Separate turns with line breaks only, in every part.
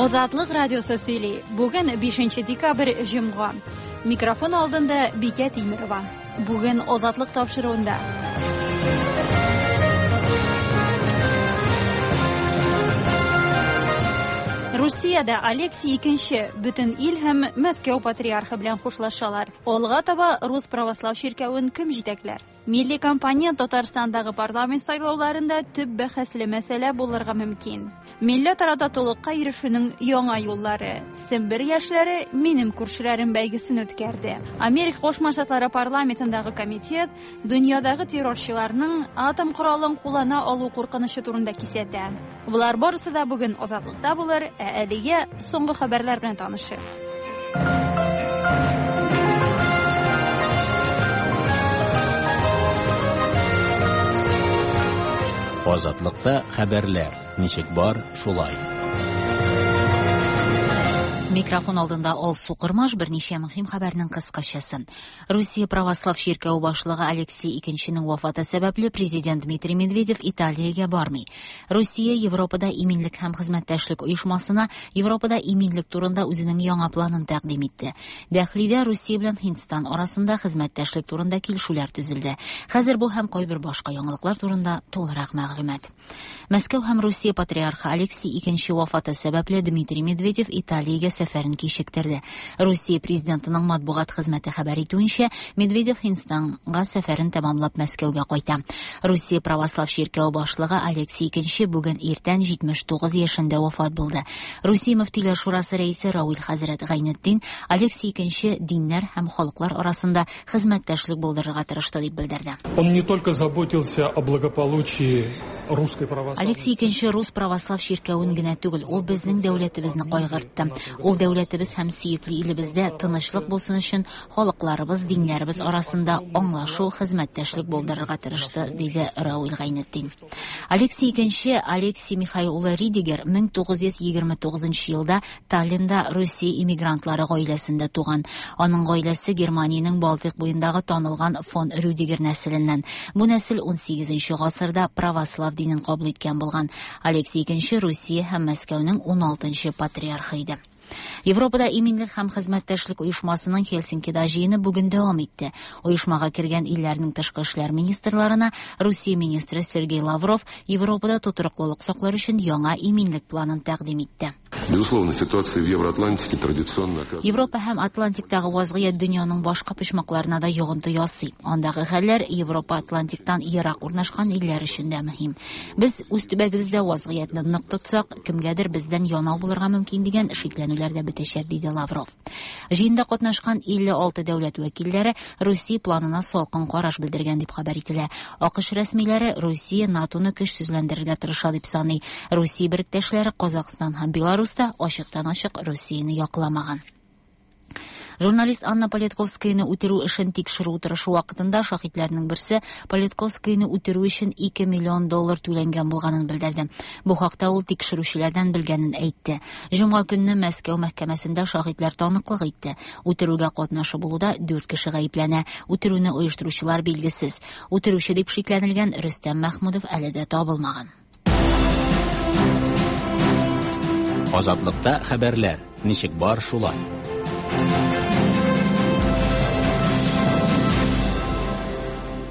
Азатлык радиосы сөйли. Бүген 5 декабрь, җомга. Микрофон алдында Бикә Тимерова. Бүген Азатлык тапшыруында. Русиядә Алексий II бөтен ил һәм Мәскәү патриархы белән хушлашалар. Алга таба Рус православ чиркәвен кем җитәкләр? Милли кампания Татарстандагы парламент сайлауларында төп бәхәсле мәсьәлә булырга мөмкин. Милләтара татулыкка ирешүнең яңа юллары. Сембер яшьләре Минем күршеләрем бәйгесен үткәрде. Америка Кушма Штатлары парламентындагы комитет дөньядагы террорчыларның атом коралын куллана алу куркынычы турында кисәтә. Болар барысы да бүген Азатлыкта булыр, ә әлегә соңгы хәбәрләр белән танышыйк.
Азатлыкта хәбәрләр ничек бар, шулай.
Микрофон алдында Алсу Кырмаш берничә мөһим хәбәрнең кыскачасы. Русия православ чиркәве башлыгы Алексей II вафаты сәбәпле президент Дмитрий Медведев Италиягә бармый. Русия Европада иминлек һәм хезмәттәшлек оешмасына Европада иминлек турында үзенең яңа планын тәкъдим итте. Дәхлидә Русия белән Һиндстан арасында хезмәттәшлек турында килешүләр төзелде. Хәзер бу һәм кайбер башка яңалыклар турында тулырак мәгълүмат. Мәскәү һәм Русия патриархы Алексий II вафаты сәбәпле Дмитрий Медведев Италиягә сәфәрен кичектерде. Русия президентының матбугат хезмәте хәбәр итүенчә, Медведев Һиндстанга сәфәрен тәмамлап Мәскәүгә кайта. Русия православ чиркәве башлыгы Алексий II бүген иртән 79 яшендә вафат булды. Русия мөфтиләр шурасы рәисе Равил хәзрәт Гайнетдин Алексий II диннәр һәм халыклар арасында хезмәттәшлек булдырырга тырышты дип белдерде.
Он не только заботился о благополучии русской православной
Алексий II рус православ чиркәвен генә түгел, ул безнең дәүләтебезне кайгыртты. Ул дәүләтебез һәм сөекле илебездә тынычлык булсын өчен халыкларыбыз, диннәребез арасында аңлашу, хезмәттәшлек булдырырга тырышты, диде Равил Гайнетдин. Алексий II Алексий Михаил улы Ридигер 1929 елда Таллинда Русия иммигрантлары гаиләсендә туган. Аның гаиләсе Германиянең Балтыйк буендагы танылган фон Рюдигер нәселеннән. Бу нәсел 18 гасырда православ динен кабул иткән булган. Алексий II Русия һәм Мәскәүнең 16 патриархы иде. Европада иминлек һәм хезмәттәшлек оешмасының Хельсинкида җыены бүген дәвам итте. Оешмага кергән илләрнең тышкы эшләр министрларына Русия министры Сергей Лавров Европада тотрыклылык саклар өчен яңа иминлек планын тәкъдим итте.
Безусловно, ситуация в Евроатлантике традиционно оказывает...
Европа һәм Атлантиктагы вазгыять дөньяның башка почмакларына да йогынты ясый. Андагы хәлләр Европа Атлантиктан ерак урнашкан илләр өчен дә мөһим. Без үз төбәгебездә вазгыятьне нык тотсак, кемгәдер бездән янау булырга мөмкин дигән шикләнүләр дә бетәчәк, диде Лавров. Җыенда катнашкан 56 дәүләт вәкилләре Русия планына салкын караш белдергән дип хәбәр ителә. АКШ рәсмиләре Русия НАТО-ны көчсезләндерергә тырыша дип саный. Русия беректәшләре Казахстан һәм Беларусь та ачыктан-ачык Русияне якламаган. Журналист Анна Политковскаяны үтерү эшен тикшерү утырышы вакытында шаһитләрнең берсе Политковскаяны үтерү өчен 2 миллион доллар түләнгән булганын белдерде. Бу хакта ул тикшерүчеләрдән белгәнен әйтте. Җомга көнне Мәскәү мәхкәмәсендә шаһитләр таныклык итте. Үтерүгә катнашы булуда 4 кеше гаепләнә. Үтерүне оештыручылар билгесез. Үтерүче дип шикләнелгән Рөстәм Мәхмүдов әле дә табылмаган.
Азатлыкта хәбәрләр ничек бар, шулай.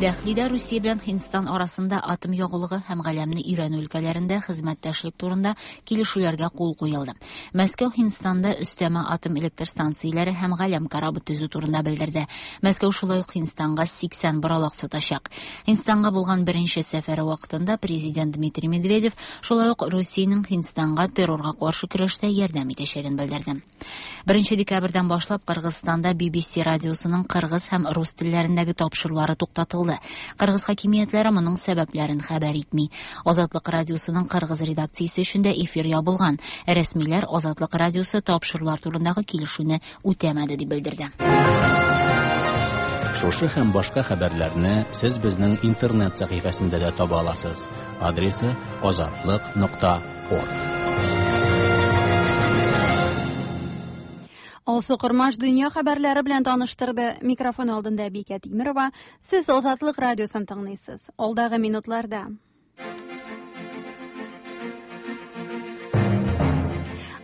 Дәхлидә Русия белән Һиндстан арасында атом ягулыгы һәм галәмне өйрәнү өлкәләрендә хезмәттәшлек турында килешүләргә кул куелды. Мәскәү Һиндстанда өстәмә атом электр станцияләре һәм галәм корабы төзү турында белдерде. Мәскәү шулай ук Һиндстанга 80 боралак сатачак. Һиндстанга булган беренче сәфәре вакытында президент Дмитрий Медведев шулай ук Русиянең Һиндстанга террорга каршы көрәштә ярдәм итәчәген белдерде. 1 декабрьдән башлап Кыргызстанда BBC радиосының кыргыз һәм рус телләрендәге тапшырулары туктатылды. Кыргыз хакимиятләре моның сәбәпләрен хәбәр итми. Азатлык радиосының кыргыз редакциясе өчен дә эфир ябылган. Рәсмиләр Азатлык радиосы тапшырулар турындагы килешүне үтәмәде дип белдерде.
Шушы һәм башка хәбәрләрне сез безнең интернет сәхифәсендә дә таба аласыз. Адресы azatliq.org.
Алсу Кормаш дөнья хәбәрләре белән таныштырды. Микрофон алдында Бикә Тимирова. Сез Азатлык радиосын тыңлыйсыз. Алдагы минутларда.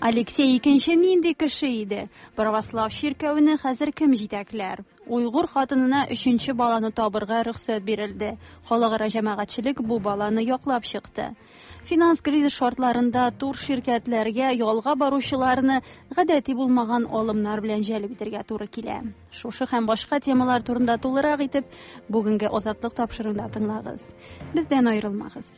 Алексей икенче нинди кеше иде? Православ чиркәвене хәзер кем җитәкләр? Уйгур хатынына өченче баланы табырга рөхсәт бирелде. Халыкара җәмәгатьчелек бу баланы яклап чыкты. Финанс кризис шартларында тур ширкәтләргә ялга баручыларны гадәти булмаган алымнар белән җәлеп итәргә туры килә. Шушы һәм башка темалар турында тулырак итеп бүгенге Азатлык тапшыруында тыңлагыз. Бездән аерылмагыз.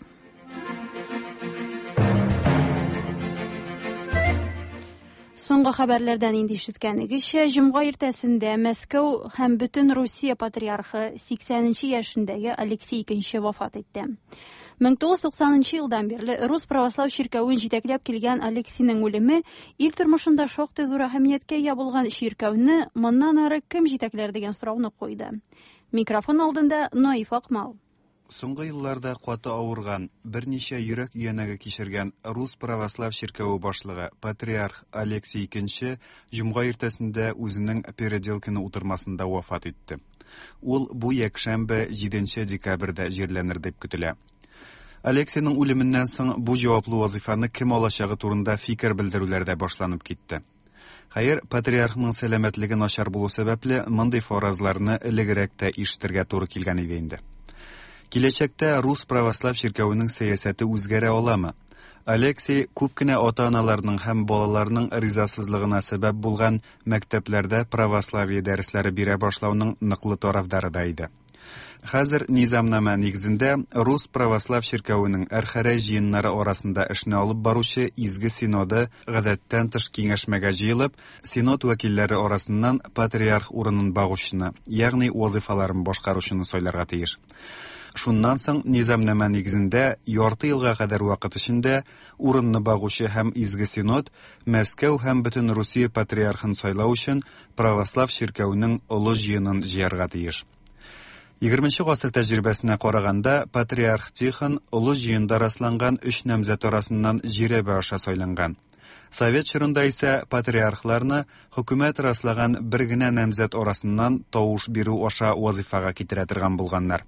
Соңгы хәбәрләрдән инде ишеткәнегезчә, җомга иртәсендә Мәскәү һәм бөтен Русия патриархы 80 яшендәге Алексей II вафат итте. 1990 елдан бирле Рус православ чиркәвен җитәкләп килгән Алексейның үлеме ил тормышында шактый зур әһәмияткә ия булган чиркәүне моннан ары кем җитәкләр дигән сорауны куйды. Микрофон алдында Наиф Акмал.
Соңгы елларда каты авырган, берничә йөрәк өянәге кичергән Рус православ чиркәве башлыгы патриарх Алексий II җомга иртәсендә үзенең Переделкино утырмасында вафат итте. Ул бу якшәмбе 7 декабрьдә җирләнер дип көтелә. Алексейның үлеменнән соң бу җаваплы вазифаны кем алачагы турында фикер белдерүләр дә башланып китте. Хәер, патриархның сәламәтлеге начар булу сәбәпле, мондый фаразларны элегрәк тә ишетергә туры килгән иде инде. Киләчәктә Рус православ чиркәвенең сәясәте үзгәрә аламы? Алексей күп кенә ата-аналарның һәм балаларның ризасызлыгына сәбәп булган мәктәпләрдә православие дәресләре бирә башлауның ныклы тарафдары да иде. Хәзер низамнамә нигезендә Рус православ чиркәвенең Әрхәрәй җыеннары арасында эшне алып баручы Изге Синоды гадәттән тыш киңәшмәгә җыелып, Синод вәкилләре арасыннан патриарх урынын багучыны, ягъни вазифаларын башкаручыны сайларга тиеш. Шуннан соң низамнамә нигезендә ярты елга кадәр вакыт эчендә урынны багучы һәм Изге Синод Мәскәү һәм бөтен Русия патриархын сайлау өчен православ чиркәвенең олы җыенын җыярга тиеш. 20 гасыр тәҗрибәсенә караганда, патриарх Тихон олы җыенда расланган өч намзәт арасыннан жирәбә аша сайланган. Совет чорында исә патриархларны хөкүмәт раслаган бер генә намзәт арасыннан тавыш бирү аша вазифага китерә торган булганнар.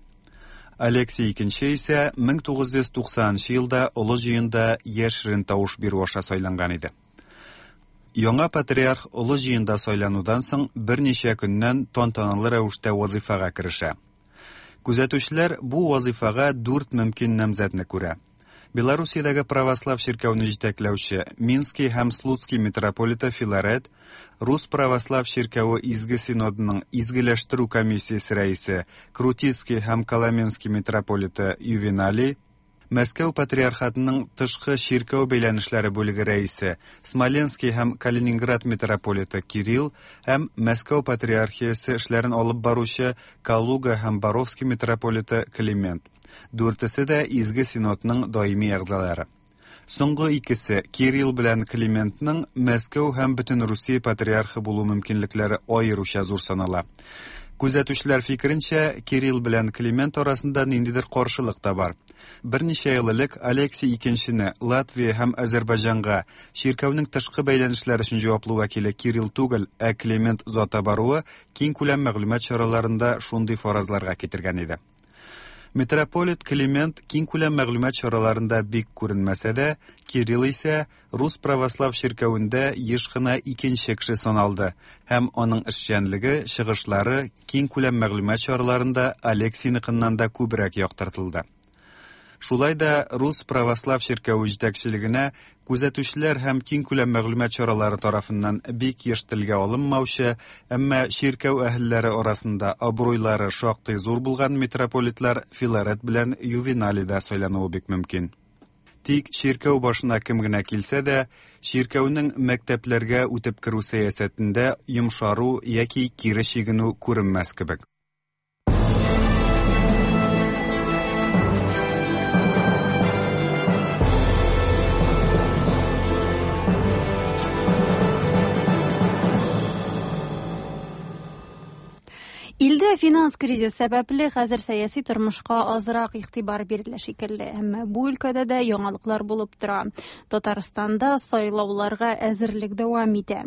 Алексей II исә 1990 елда олы җыенда яшерен тавыш бирү аша сайланган иде. Яңа патриарх олы җыенда сайланудан соң берничә көннән тантаналы рәвештә вазифага керешә. Күзәтүчеләр бу вазифага дүрт мөмкин намзәтне күрә. Белоруссиядәге православ чиркәүне җитәкләүче Минский һәм Слуцкий митрополиты Филарет, Рус православ чиркәве Изге Синодының изгеләштерү комиссиясе рәисе Крутицкий һәм Коломенский митрополиты Ювеналий, Мәскәү патриархатының тышкы чиркәү бәйләнешләре бүлеге рәисе Смоленский һәм Калининград митрополиты Кирилл һәм Мәскәү патриархиясе эшләрен алып баручы Калуга һәм Боровский митрополиты Климент. Дүртесе дә Изге Синодның даими әгъзалары. Соңгы икесе Кирилл белән Климентның Мәскәү һәм бөтен Русия патриархы булу мөмкинлекләре аеруча зур санала. Күзәтүчеләр фикеренчә, Кирилл белән Климент арасында ниндидер каршылык та бар. Берничә ел элек Алексей II Латвия һәм Азербайҗанга чиркәүнең тышкы бәйләнешләр өчен җаваплы вәкиле Кирилл түгел, ә Климент зата баруы киң күләм мәгълүмат чараларында шундый фаразларга китергән иде. Митрополит Климент киң күләм мәгълүмат чараларында бик күренмәсә дә, Кирилл исә Рус православ чиркәвендә еш кына икенче кеше саналды һәм аның эшчәнлеге, чыгышлары киң күләм мәгълүмат чараларында Алексейныкыннан да күбрәк яктыртылды. Шулай да Рус православ чиркәве җитәкчелегенә күзәтүчеләр һәм киң күләм мәгълүмат чаралары тарафыннан бик еш телгә алынмаучы, әмма чиркәү әһелләре арасында абруйлары шактый зур булган митрополитлар Филарет белән Ювеналий да сайлануы бик мөмкин. Тик чиркәү башына кем генә килсә дә, чиркәүнең мәктәпләргә үтеп керү сәясәтендә йомшару яки кире чигенү күренмәс кебек.
Илдә Финанс кризис сәбәпле, хәзер сәяси тормышка азрак игътибар бирелә шикелле. Әмма бу өлкәдә дә яңалыклар булып тора. Татарстанда сайлауларга әзерлек дәвам итә.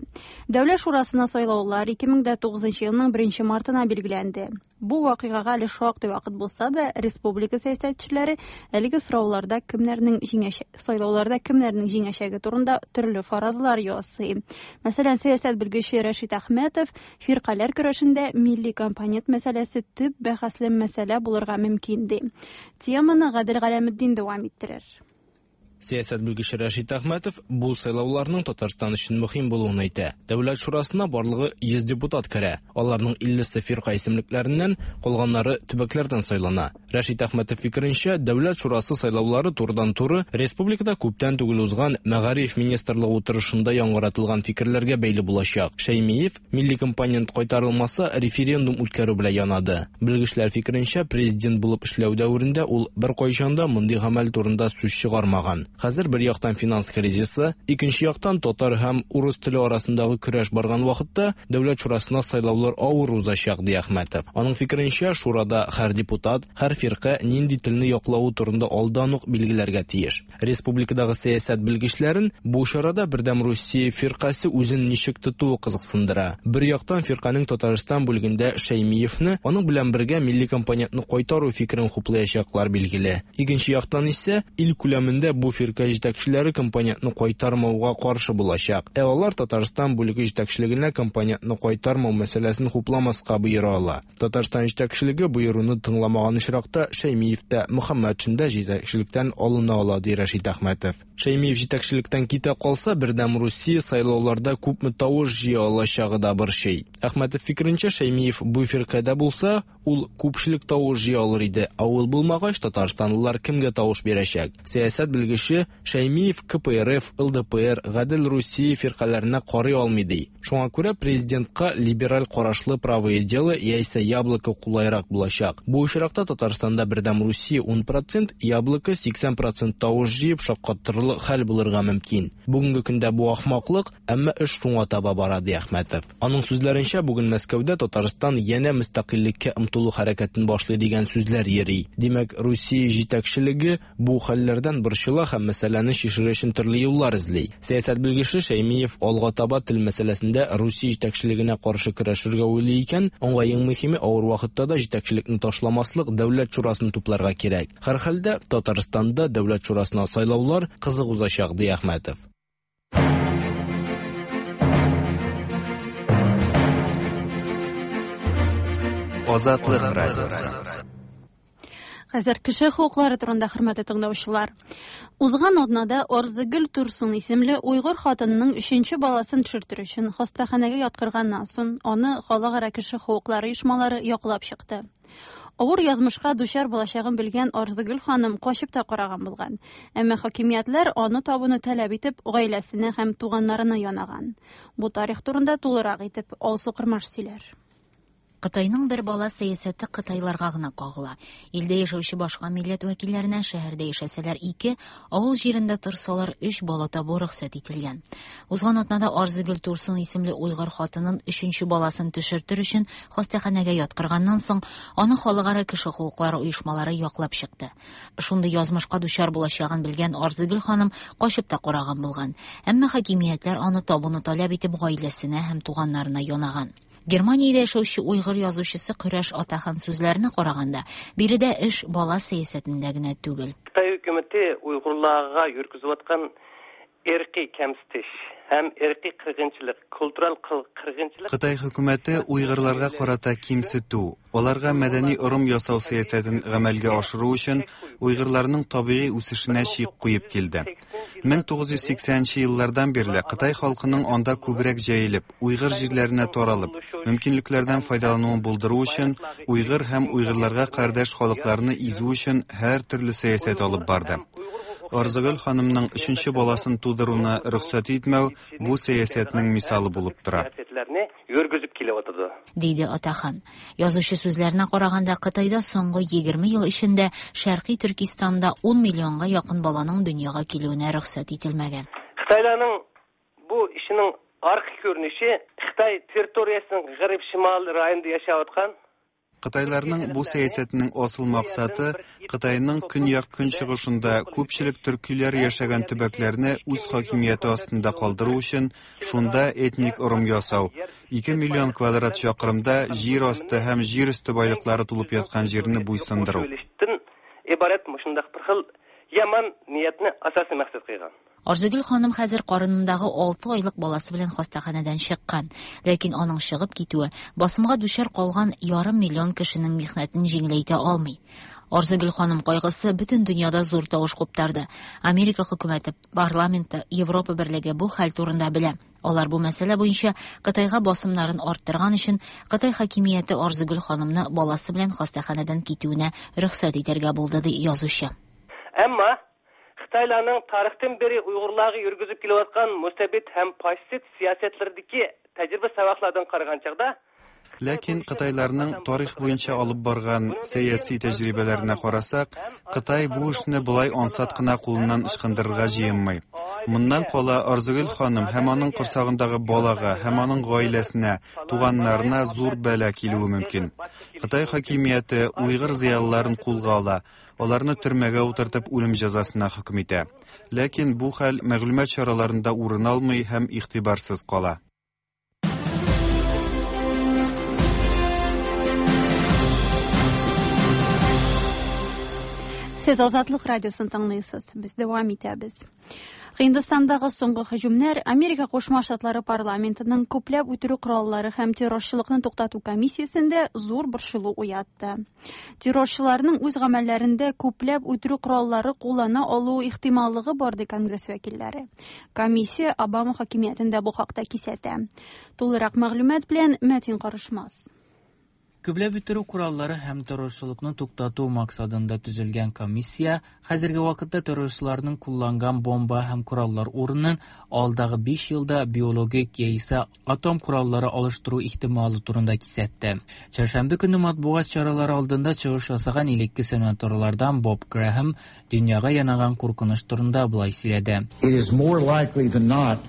Дәүләт шурасына сайлаулар 2009 елның 1 мартына билгеләнде. Бу вакыйгага әле шактый вакыт булса да, республика сәясәтчеләре әлеге сорауларда кемнәрнең җиңәчәге, сайлауларда кемнәрнең җиңәчәге турында төрле фаразлар ясый. Мәсәлән, сәясәт белгече Рәшит Әхмәтов фиркаләр көрәшендә милли компонент мәсьәләсе төп бәхәсле мәсьәлә булырга мөмкин ди. Теманы Гадел Галәметдин дәвам иттерер.
Сәясәт белгече Рәшит Әхмәтов бу сайлауларның Татарстан өчен мөһим булуын әйтә. Дәүләт шурасына барлыгы 100 депутат керә. Аларның 50-се фирка исемлекләреннән, калганнары төбәкләрдән сайлана. Рәшит Әхмәтов фикеренчә, Дәүләт шурасы сайлаулары турыдан-туры республикада күптән түгел узган Мәгариф министрлыгы утырышында яңгыратылган фикерләргә бәйле булачак. Шәймиев милли компонент кайтарылмаса, референдум үткәрү белән янады. Белгечләр фикеренчә, президент булып эшләү дәверендә ул беркайчан да мондый гамәл турында сүз чыгармаган. Хәзер бер яктан финанс кризисы, икенче яктан татар һәм урыс теле арасындагы көрәш барган вакытта Дәүләт шурасына сайлаулар авыр узачак, ди Әхмәтов. Аның фикеренчә, шурада һәр депутат, һәр фирка нинди телне яклавы турында алдан ук билгеләргә тиеш. Республикадагы сәясәт белгечләрен бу чарада Бердәм Русия фиркасе үзен ничек тотуы кызыксындыра. Бер яктан фирканең Татарстан бүлегендә Шәймиевне, аның белән бергә милли компонентны кайтару фикерен хуплаячаклар билгеле. Икенче яктан исә ил күләмендә бу фирка җитәкчеләре компонентны кайтармауга каршы булачак. Ә алар Татарстан бүлеге җитәкчелегенә компонентны кайтармау мәсьәләсен хупламаска боера ала. Татарстан җитәкчелеге боеруны тыңламаган очракта Шәймиев тә, Мөхәммәтшин дә җитәкчелектән алына ала, ди Рәшит Әхмәтов. Шәймиев җитәкчелектән китә калса, Бердәм Русия сайлауларда күпме тавыш җыя алачагы да борчый. Әхмәтов фикеренчә, Шәймиев бу фиркадә булса, ул күпчелек тавыш җыя алыр иде. Ә ул булмагач, татарстанлылар кемгә тавыш бирәчәк? Сәясәт белгече Шәймиев КПРФ, ЛДПР, Гадел Русия фиркаләренә карый алмый ди. Шуңа күрә президентка либераль карашлы Правое дело яисә Яблоко кулайрак булачак. Бу очракта Татарстанда Бердәм Русия 10%, Яблоко 80% тавыш җыеп шаккатырырлык хәл булырга мөмкин. Бүгенге көндә бу ахмаклык, әмма эш шуңа таба бара, ди Әхмәтов. Аның сүзләренчә, бүген Мәскәүдә Татарстан янә мөстәкыйльлеккә омтылу хәрәкәтен башлый дигән сүзләр йөри. Димәк, Русия җитәкчелеге Бу хәлләрдән борчыла һәм мәсьәләне чишер өчен төрле юллар эзли. Сәясәт белгече Шәймиев алга таба тел мәсьәләсендә Русия җитәкчелегенә каршы көрәшергә уйлый икән, аңа иң мөһиме авыр вакытта да җитәкчелекне ташламаслык Дәүләт шурасын тупларга кирәк. Һәрхәлдә, Татарстанда Дәүләт шурасына сайлаулар кызык узачак, ди Әхмәтов.
Азатлык радиосы.
Хәзер кеше хокуклары турында хөрмәтле тыңлаучылар. Узган атнада Арзыгөл Турсун исемле уйгыр хатынының өченче баласын төшертер өчен хастаханәгә яткырганнан соң аны халыкара кеше хокуклары оешмалары яклап чыкты. Авыр язмышка дучар булачагын белгән Арзыгөл ханым качып та караган булган. Әмма хакимиятләр аны табуны таләп итеп, гаиләсенә һәм туганнарына янаган. Бу тарих турында тулырак итеп Алсу Кырмаш сөйләр.
Кытайның бер бала сәясәте кытайларга гына кагыла. Илдә яшәүче башка милләт вәкилләренә шәһәрдә яшәсәләр ике, авыл җирендә торсалар өч бала табу рөхсәт ителгән. Узган атнада Арзыгөл Турсун исемле уйгыр хатынын өченче баласын төшертер өчен хастаханәгә яткырганнан соң, аны халыкара кеше хокуклары оешмалары яклап чыкты. Шундый язмышка дучар булачагын белгән Арзыгөл ханым качып та караган булган. Әмма хакимиятләр аны табуны таләп итеп гаиләсенә һәм туганнарына янаган. Германиядә яшәүче уйгыр язучысы Көрәш Атахан сүзләренә караганда, биредә эш бала сәясәтендә генә түгел.
Кытай хөкүмәте уйгырларга йөргизүваткан ирқи кәмситиш һәм ирқи кыргынчылык, культурал кыргынчылык.
Кытай хөкүмәте уйгырларга карата кимсетү, аларга мәдәни орым ясау сәясәтен гамәлгә ашыру өчен уйгырларның табигый үсешенә чик куеп килде. 1980 нче еллардан бирле Кытай халкының анда күбрәк җәелеп, уйгыр җирләренә таралып, мөмкинлекләрдән файдалануын булдыру өчен уйгыр һәм уйгырларга кардәш халыкларны изү өчен һәртөрле сәясәт алып барды. Арзыгөл ханымның өченче баласын тудыруны рөхсәт итмәү бу сәясәтнең мисалы булып тора.
Диде Атахан. Язучы сүзләренә караганда, Кытайда соңгы 20 ел эчендә Шәркый Төркистанда 10 миллионга якын баланың дөньяга килүенә рөхсәт ителмәгән.
Кытайларның бу эшенең аркы күренеше Кытай территориясенең гарип шимал районында яшәп аткан.
Кытайларның бу сәясәтенең асыл максаты Кытайның көньяк-көнчыгышында күпчелек төркиләр яшәгән төбәкләрне үз хакимияте астында калдыру өчен шунда этник ырым ясау, 2 миллион квадрат чакрымда җир асты һәм җир өсте байлыклары тулып яткан җирне буйсындыру.
ئىبارەت مۇشۇنداق بىر خىل يامان نىيەتنى ئاساسىي مەقسەت قىلغان.
Арзыгөл ханым хәзер карынындагы 6 айлык баласы белән хастаханәдән чыккан. Ләкин аның чыгып китүе басымга дучар калган ярым миллион кешенең михнәтен җиңеләйтә алмый. Арзыгөл ханым кайгысы бөтен дөньяда зур тавыш куптарды. Америка хөкүмәте, парламенты, Европа берлеге бу хәл турында белә. Алар бу мәсьәлә буенча Кытайга басымнарын арттырган өчен Кытай хакимияте Арзыгөл ханымны баласы белән хастаханәдән китүенә рөхсәт итәргә булды, ди язучы.
Әмма Хытайларның тарихтан бери уйгырларга йөргүзүп келayotgan mustabid һәм фашист сәясәтләрдәге тәҗрибә сабаклардан караган чагда
Ләкин кытайларның тарих буенча алып барган сәяси тәҗрибәләренә карасак, Кытай бу эшне болай ансат кына кулыннан ычкындырырга җыенмый. Моннан кала Арзыгөл ханым һәм аның корсагындагы балага һәм аның гаиләсенә, туганнарына зур бәла килүе мөмкин. Кытай хакимияте уйгыр зыялыларын кулга ала, аларны төрмәгә утыртып үлем җәзасына хөкем итә. Ләкин бу хәл мәгълүмат чараларында урын алмый һәм игътибарсыз кала.
Сез Азатлык радиосын тыңлыйсыз. Без дәвам итәбез. Һиндстандагы соңгы һөҗүмнәр Америка Кушма Штатлары парламентының күпләп үтерү кораллары һәм террорчылыкны туктату комиссиясендә зур борчылу уятты. Террорчыларның үз гамәлләрендә күпләп үтерү кораллары куллана алу ихтималлыгы бар, ди Конгресс вәкилләре. Комиссия Обама хакимиятендә бу хакта кисәтә. Тулырак мәгълүмат белән Мәтин Карышмас.
Күпләп үтерү кораллары һәм террорчылыкны туктату максатында төзелгән комиссия хәзерге вакытта террорчыларның кулланган бомба һәм кораллар урынын алдагы 5 елда биологик яисә атом кораллары алыштыру ихтималы турында кисәтте. Чәршәмбе көнне матбугат чаралары алдында чыгыш ясаган элекке сенаторлардан Боб Грэхэм дөньяга янаган куркыныч турында болай сөйләде.
It is more likely than not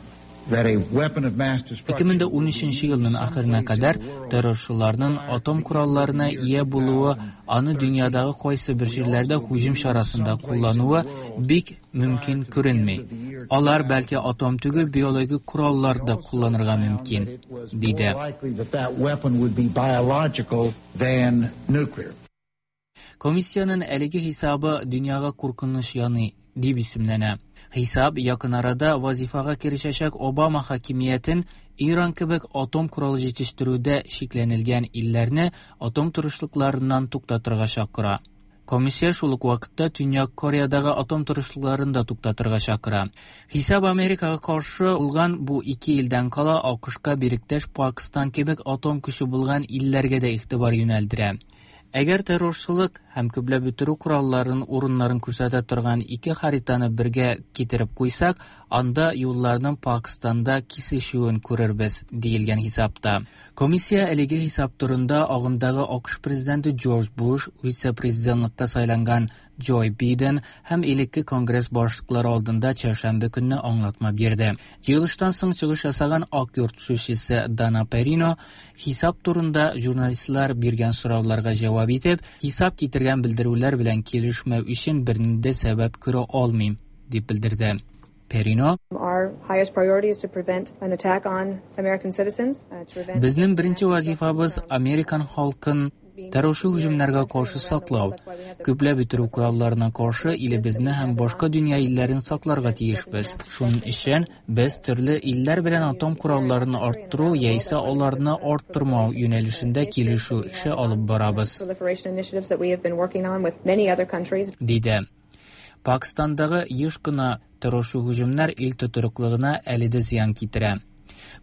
that a weapon of mass destruction
2013 елның ахырына кадәр террорчыларның атом коралларына ия булуы, аны дөньядагы кайсы бер җирләрдә һөҗүм чарасында куллануы бик мөмкин күренми. Алар бәлки атом түгел, биологик кораллар да кулланырга мөмкин, диде.
likely that that weapon would be biological than nuclear.
Комиссиянең әлеге хисабы дөньяга куркыныч яный дип исемләнә. Хисап якын арада вазифага керешәчәк Обама хакимиятен Иран кебек атом коралы җитештерүдә шикләнелгән илләрне атом тырышлыкларыннан туктатырга чакыра. Комиссия шул ук вакытта Төньяк Кореядагы атом тырышлыкларын да туктатырга чакыра. Хисап Америкага каршы булган бу ике илдән кала АКШка беректәш Пакистан кебек атом көче булган илләргә дә игътибар юнәлдерә. Әгәр террорчылык һәм күпләп үтерү коралларын урыннарын күрсәтә торган ике хаританы бергә китереп куйсак, анда юлларның Пакистанда кисешүен күрербез, диелгән хисапта. Комиссия әлеге хисап турында агымдагы АКШ президенты Джордж Буш, вице-президентлыкка сайланган Джо Биден һәм элекке Конгресс башлыклары алдында чәршәмбе көнне аңлатма бирде. Җыелыштан соң чыгыш ясаган Ак йорт сүзчесе Дана Перино хисап турында журналистлар биргән сорауларга җавап итеп, хисап китергән белдерүләр белән килешмәү өчен бернинди сәбәп күрә алмыйм, дип белдерде. Перино
Our highest priority is to prevent an attack on American citizens, to prevent
Безнең беренче вазифабыз американ халкын террорчы һөҗүмнәргә каршы саклау. Күпләп үтерү коралларына каршы илебезне һәм башка дөнья илләрен сакларга тиешбез. Шуның өчен без төрле илләр белән атом коралларын арттыру яисә аларны арттырмау юнәлешендә килешү эше алып барабыз,
proliferation initiatives that we have been working on with many other countries.
диде. Пакистандагы еш кына террорчы һөҗүмнәр ил тотрыклылыгына әле дә зыян китерә.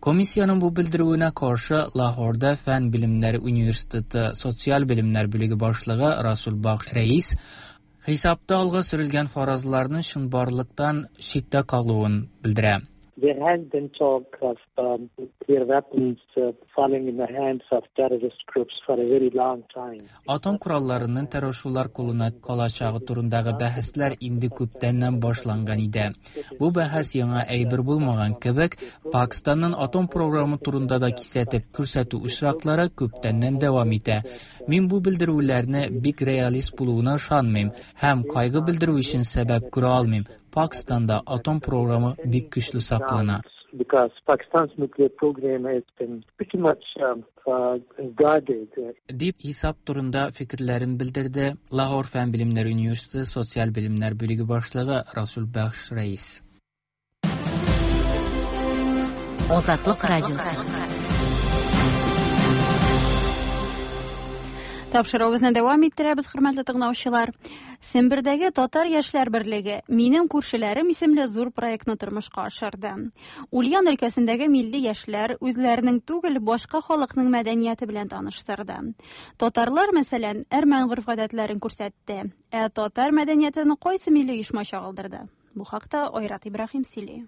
Комиссиянең бу белдерүенә каршы Лахорда Фән белемнәре университеты социаль белемнәр бүлеге башлыгы Расул Бакш Рәис хисапта алга сөрелгән фаразларның чынбарлыктан читтә калуын белдерә.
There has been talk of nuclear weapons falling in the hands of terrorist groups for a very long time.
Атом коралларының террорчылар кулына калачагы турындагы бәхәсләр инде күптәннән башланган иде. Бу бәхәс яңа әйбер булмаган кебек, Пакстанның атом програмы турында да кисәтеп күрсәтү очраклары күптәннән дәвам итә. Мин бу белдерүләрне бик реалист булуына ышанмыйм һәм кайгы белдерү өчен сәбәп күрә алмыйм. Пакстанда атом програмы бик көчле саклана.
Because Pakistan's nuclear program has been pretty much guarded.
Дип хисап турында фикерләрен белдерде Лаһор фән белемнәре университеты социаль белемнәр бүлеге башлыгы Расул Бәхш Рәис.
Азатлык радиосы.
Тапшыруыбызны дәвам иттерәбез, хөрмәтле тыңлаучылар. Сембердәге Татар яшьләр берлеге Минем күршеләрем исемле зур проектны тормышка ашырды. Ульян өлкәсендәге милли яшьләр үзләренең түгел, башка халыкның мәдәнияте белән таныштырды. Татарлар, мәсәлән, әрмән гореф-гадәтләрен күрсәтте. Ә татар мәдәниятен кайсы милли оешма чагылдырды? Бу хакта Айрат Ибраһим сөйли.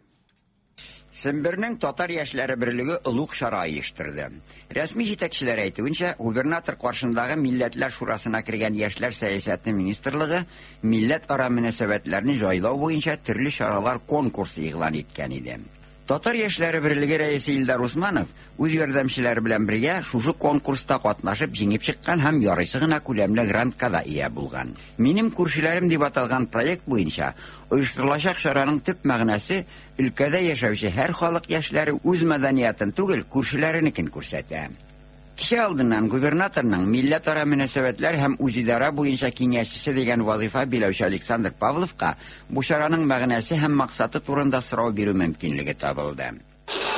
Сембернең Татар яшьләре берлеге олуг чара оештырды. Рәсми җитәкчеләр әйтүенчә, губернатор каршындагы Милләтләр шурасына кергән Яшьләр сәясәте министрлыгы милләтара мөнәсәбәтләрне җайлау буенча төрле чаралар конкурсы игълан иткән иде. Татар яшьләре берлеге рәисе Илдар Усманов үз ярдәмчеләре белән бергә шушы конкурста катнашып җиңеп чыккан һәм ярыйсы гына күләмле грантка да ия булган. Минем күршеләрем дип аталган проект буенча оештырылачак чараның төп мәгънәсе өлкәдә яшәүче һәр халык яшьләре үз мәдәниятын түгел, күршеләренекен күрсәтә. Кичә алдыннан губернаторның милләтара мөнәсәбәтләр һәм үзидарә буенча киңәшчесе дигән вазыйфа биләүче Александр Павловка бу чараның мәгънәсе һәм максаты турында сорау бирү мөмкинлеге табылды.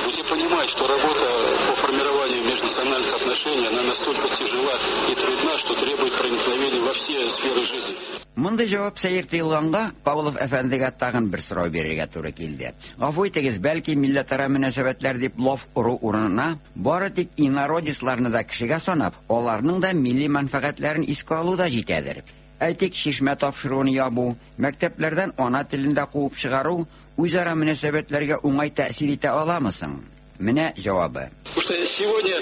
Будете понимать, что работа по формированию межнациональных отношений, она настолько тяжела и трудна, что требует проникновения во все сферы жизни.
Мондый җавап сәер тоелганга, Павлов әфәндегә тагын бер сорау бирергә туры килде. Гафу итегез, бәлки милләтара мөнәсәбәтләр дип лаф ору урынына, бары тик инородецларны да кешегә санап, аларның да милли мәнфәгатьләрен искә алу да җитәдер. Әйтик, чишмә тапшыруын ябу, мәктәпләрдән ана телен дә куып чыгару үзара мөнәсәбәтләргә уңай тәэсир итә аламы соң? Менә җавабы.
Потому что сегодня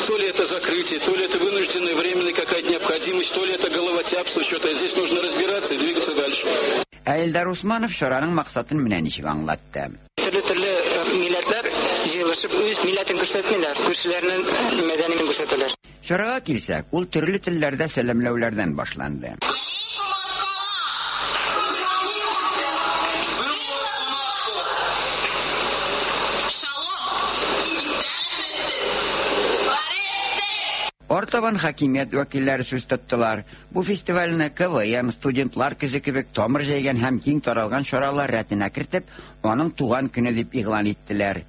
то ли это закрытие, то ли это вынужденная временная какая-то необходимость, то ли это головотяпство, что-то. Здесь нужно разбираться и двигаться дальше.
Ә Илдар Усманов чараның максатын менә ничек аңлатты.
Төрле-төрле милләтләр җыелышып үз милләтен күрсәтмиләр, күршеләренең мәдәниятен күрсәтәләр.
Чарага килсәк, ул төрле телләрдә сәламләүләрдән башланды. Артабан хакимият вәкилләре сүз тоттылар. Бу фестивальне КВН, студентлар көзе кебек тамыр җәйгән һәм киң таралган чаралар рәтенә кертеп, аның туган көне дип игълан иттеләр.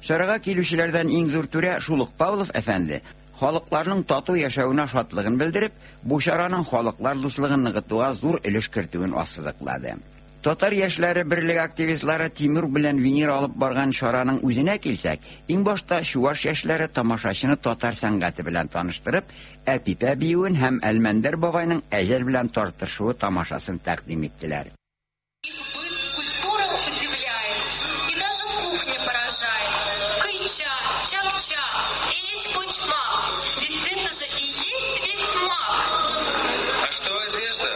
Чарага килүчеләрдән иң зур түрә шул ук Павлов әфәнде халыкларның тату яшәвенә шатлыгын белдереп, бу чараның халыклар дуслыгын ныгытуга зур өлеш кертүен ассызыклады. Татар яшьләре берлеге активистлары Тимур белән Венера алып барган чараның үзенә килсәк, иң башта чуаш яшьләре тамашачыны татар сәнгате белән таныштырып, Әпипә биюен һәм Әлмәндәр бабайның әҗәл белән тартышуы тамашасын тәкъдим иттеләр.
Культура удивляет, и даже кухня поражает. Кыйча, чак-чак, эчпочмак, ведь это же и есть весь смак.
А что одежда?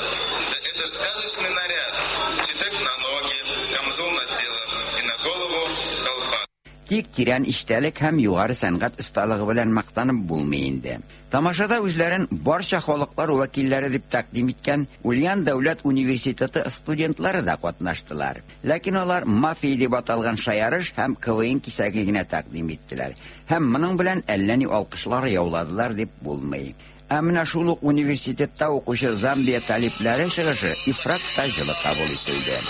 Да это ж сказочный наряд. Читек на ноги, камзол на тело и на голову колпак.
Тик тирән эчтәлек һәм югары сәнгать осталыгы белән мактанып булмый инде. Тамашада үзләрен барча халыклар вәкилләре дип тәкъдим иткән Ульян дәүләт университеты студентлары да катнаштылар. Ләкин алар мафия дип аталган шаярыш һәм КВН кисәге генә тәкъдим иттеләр. Һәм моның белән әллә ни алкышлар яуладылар дип булмый. Ә менә шул ук университетта укучы Замбия талипләре чыгышы ифрат та җылы кабул ителде.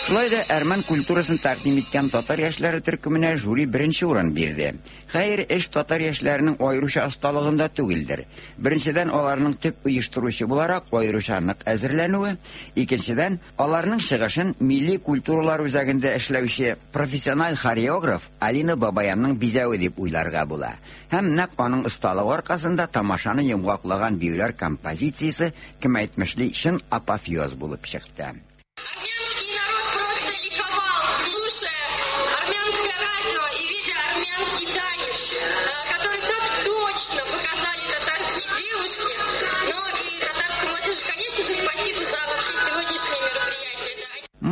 Шулай да әрмән культурасын тәкъдим иткән татар яшьләре төркеменә жюри беренче урын бирде. Хәер, эш татар яшьләренең аеруча осталыгында түгелдер. Беренчедән, аларның төп оештыручы буларак аеруча нык әзерләнүе, икенчедән, аларның чыгышын милли культуралар үзәгендә эшләүче профессиональ хореограф Алина Бабаянның бизәве дип уйларга була. Һәм нәкъ аның осталыгы аркасында тамашаны йомгаклagан биюләр композициясе, кем әйтмешли, чын апофеоз булып чыкты.
Огня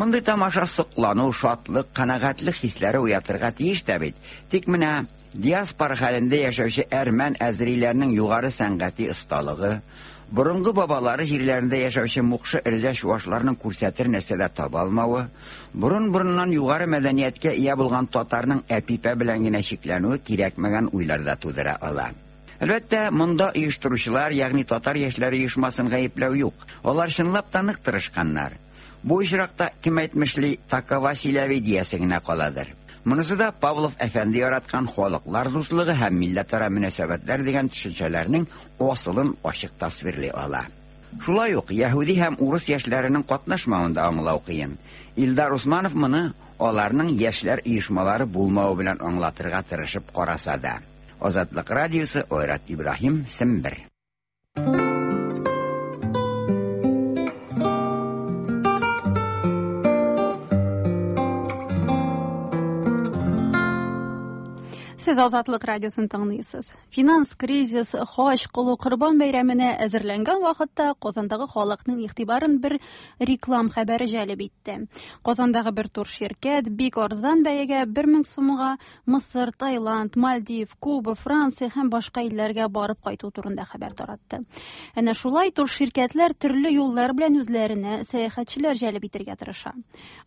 Мондый тамаша соклану, шатлык, канәгатьлек хисләре уятырга тиеш тә бит. Тик менә диаспора хәлендә яшәүче әрмән әзериләрнең югары сәнгати осталыгы, борынгы бабалары җирләрендә яшәүче мукшы эрзә чуашларның күрсәтер нәрсә дә таба алмавы, борын-борыннан югары мәдәнияткә ия булган татарның әпипә белән генә чикләнүе кирәкмәгән уйлар да тудыра ала. Әлбәттә, монда оештыручылар, ягъни татар яшьләре оешмасын гаепләү юк. Алар чынлап та нык тырышканнар. Бу очракта, кем әйтмешли, такова силәви диясе генә каладыр. Монысы да Павлов әфәнде яраткан халыклар дуслыгы һәм милләтара мөнәсәбәтләр дигән төшенчәләрнең асылын ачык тасвирлый ала. Шулай ук яһүди һәм урыс яшьләренең катнашмавын да аңлау кыен. Илдар Усманов моны аларның яшьләр оешмалары булмавы белән аңлатырга тырышып караса да. Азатлык радиосы, Айрат Ибраһим, Сембер.
Сез Азатлык радиосын тыңлыйсыз. Финанс кризис, хаҗ кылу, Корбан бәйрәменә әзерләнгән вакытта Казандагы халыкның игътибарын бер реклам хәбәре җәлеп итте. Казандагы бер турширкәт бик арзан бәягә 1000 сумга Мысыр, Таиланд, Мальдив, Куба, Франция һәм башка илләргә барып кайту турында хәбәр таратты. Әнә шулай турширкәтләр төрле юллар белән үзләренә сәяхәтчеләр җәлеп итәргә тырыша.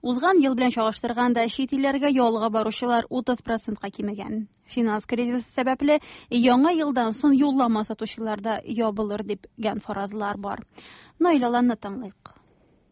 Узган ел белән чагыштырганда чит илләргә ялга баручылар 30 процентка кимегән. Финанс кризисы сәбәпле яңа елдан соң юллама сатучылар да ябылыр дигән фаразлар бар. Наил Аланны тыңлыйк.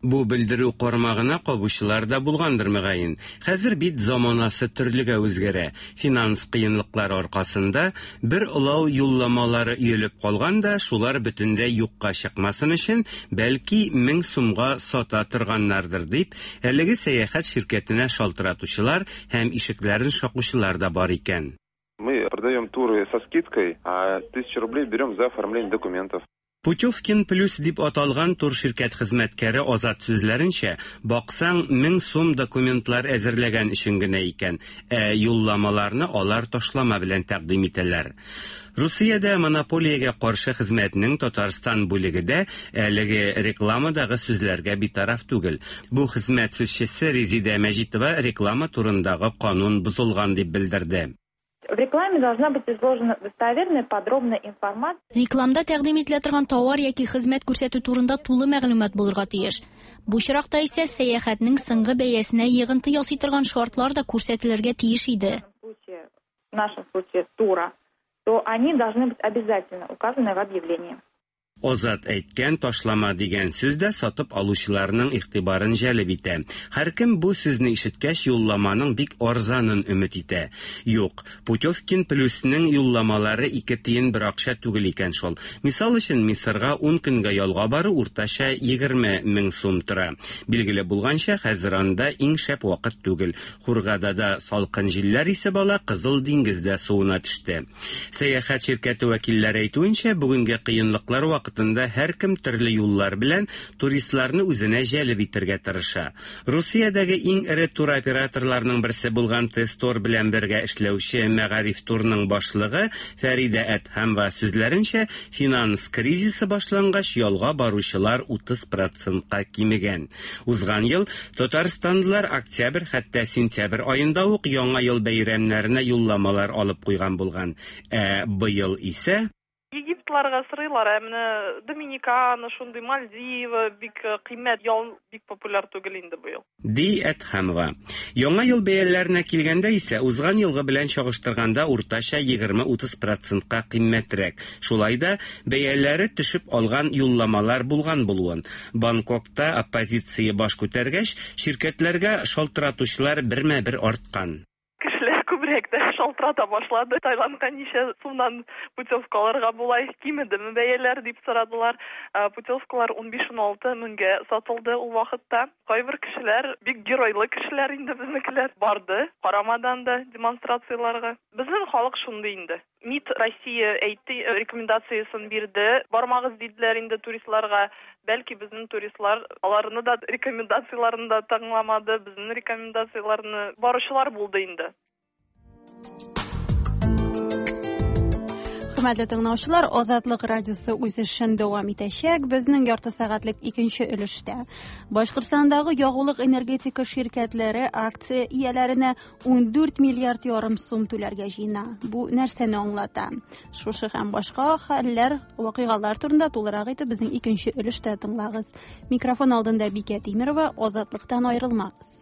Бу белдерү кармагына кабучылар да булгандыр, мөгаен. Хәзер бит заманасы төрлегә үзгәрә. Финанс кыенлыклары аркасында бер олау юлламалары өелеп калган да, шулар бөтенләй юкка чыкмасын өчен, бәлки, 1000 сумга сата торганнардыр дип, әлеге сәяхәт ширкәтенә шалтыратучылар һәм ишекләрен шакучылар да бар икән.
Мы продаем туры со скидкой, а 1000 рублей берем за оформление документов.
Путевкин плюс дип аталган турширкәт хезмәткәре Азат сүзләренчә, баксаң, 1000 сум документлар әзерләгән өчен генә икән, ә юлламаларны алар ташлама белән тәкъдим итәләр. Русиядә монополиягә каршы хезмәтнең Татарстан бүлеге дә әлеге рекламадагы сүзләргә битараф түгел. Бу хезмәт сүзчесе Резидә Мәҗитова реклама турындагы канун бозылган дип белдерде.
В рекламе должна быть изложена достоверная, подробная информация.
Рекламда тәкъдим ителә торган товар яки хезмәт күрсәтү турында тулы мәгълүмат булырга тиеш. Бу очракта исә сәяхәтнең соңгы бәясенә йогынты ясый торган шартлар да күрсәтелергә тиеш иде.
В нашем случае тура, то они должны быть обязательно указаны в объявлении.
Азат әйткән ташлама дигән сүз дә сатып алучыларның игътибарын җәлеп итә. Һәркем бу сүзне ишеткәч юлламаның бик арзанын өмет итә. Юк, Путевкин плюсның юлламалары ике тиен бер акча түгел икән шул. Мисал өчен, Мисырга 10 көнгә ялга бару уртача 20 мең сум тора. Билгеле булганча, хәзер анда иң шәп вакыт түгел. Хургадада салкын җилләр исеп ала, Кызыл диңгездә суына төште. Сәяхәт ширкәте вәкилләре әйтүенчә, бүгенге кыенлыклар вакытында һәркем төрле юллар белән туристларны үзенә җәлеп итәргә тырыша. Русиядәге иң эре туроператорларның берсе булган Тестор белән бергә эшләүче Мәгариф турның башлыгы Фәридә Әдһәмова сүзләренчә, финанс кризисы башлангач ялга баручылар 30%ка кимегән. Узган ел татарстанлылар октябрь хәтта сентябрь аенда ук яңа ел бәйрәмнәренә юлламалар алып куйган булган. Ә быел исә
Египетларга сорыйлар, ә менә Доминикана, шундый Мальдивы бик кыйммәт ял бик популяр түгел инде быел.
Ди Әдһәмова. Яңа ел бәяләренә килгәндә исә узган елгы белән чагыштырганда уртача 20-30 процентка кыйммәтрәк. Шулай да бәяләре төшеп алган юлламалар булган булуын. Бангкокта оппозиция баш күтәргәч, ширкәтләргә шалтыратучылар бермә-бер арткан.
Кешеләр күбрәк тә шалтырата башлады. Таиландка ничә сумнан путевка алырга була, кимедеме бәяләр дип сорадылар. Путевкалар 15-16 меңгә сатылды ул вакытта. Кайбер кешеләр, бик геройлы кешеләр инде безнекеләр, барды, карамадан да демонстрацияләргә. Безнең халык шундый инде. МИД Россия әйтте, рекомендациясен бирде. Бармагыз диделәр инде туристларга. Бәлки безнең туристлар аларны да рекомендацияләрен дә тыңламады, безнең рекомендацияләрне баручылар булды инде.
Хөрмәтле тыңлаучылар, Азатлык радиосы үз эшен дәвам итәчәк. Безнең ярты сәгатьлек икенче өлештә Башкортстандагы ягулык энергетика ширкәтләре акция ияләренә 14 миллиард ярым сум түләргә җыена. Бу нәрсәне аңлата? Шушы һәм башка хәлләр, вакыйгалар турында тулырак итеп безнең икенче өлештә тыңлагыз. Микрофон алдында Бикә Тимерова, Азатлыктан аерылмагыз.